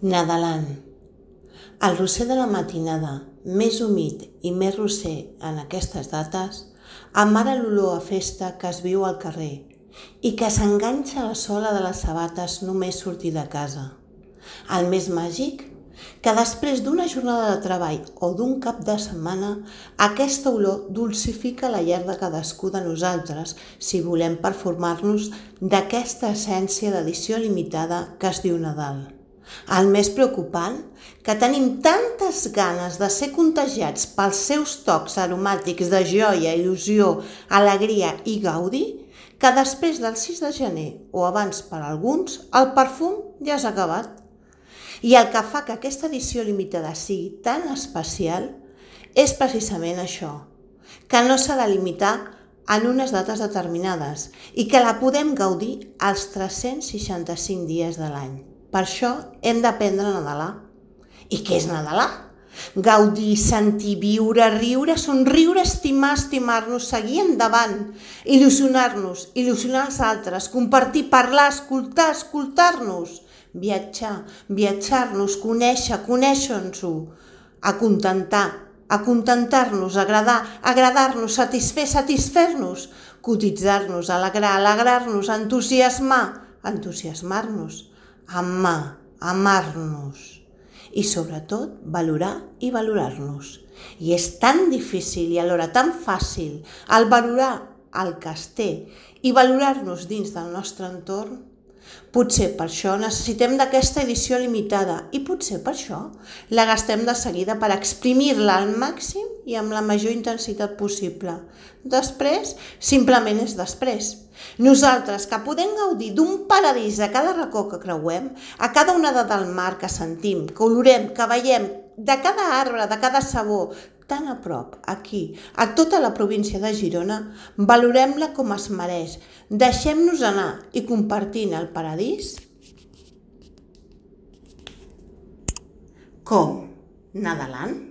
Nadalant. El roser de la matinada, més humit i més roser en aquestes dates, amara l'olor a festa que es viu al carrer i que s'enganxa a la sola de les sabates només sortir de casa. El més màgic, que després d'una jornada de treball o d'un cap de setmana, aquesta olor dulcifica la llar de cadascú de nosaltres si volem perfumar-nos d'aquesta essència d'edició limitada que es diu Nadal. El més preocupant, que tenim tantes ganes de ser contagiats pels seus tocs aromàtics de joia, il·lusió, alegria i gaudi, que després del 6 de gener o abans per alguns, el perfum ja s'ha acabat. I el que fa que aquesta edició limitada sigui tan especial és precisament això, que no s'ha de limitar en unes dates determinades i que la podem gaudir els 365 dies de l'any. Per això hem d'aprendre a nadalar. I què és nadalar? Gaudir, sentir, viure, riure, somriure, estimar, estimar-nos, seguir endavant, il·lusionar-nos, il·lusionar els altres, compartir, parlar, escoltar, escoltar-nos, viatjar, viatjar-nos, conèixer, conèixer-nos-ho, acontentar-nos, agradar, agradar-nos, satisfer, satisfer-nos, cotitzar-nos, alegrar, alegrar-nos, entusiasmar, entusiasmar-nos, amar, amar-nos i sobretot valorar i valorar-nos. I és tan difícil i alhora tan fàcil el valorar el que es té i valorar-nos dins del nostre entorn. Potser per això necessitem d'aquesta edició limitada i potser per això la gastem de seguida per exprimir-la al màxim i amb la major intensitat possible. Després, simplement és després. Nosaltres, que podem gaudir d'un paradís a cada racó que creuem, a cada onada del mar que sentim, que olorem, que veiem, de cada arbre, de cada sabor, tan a prop, aquí, a tota la província de Girona, valorem-la com es mereix, deixem-nos anar i compartint el paradís. Com? Nadalant?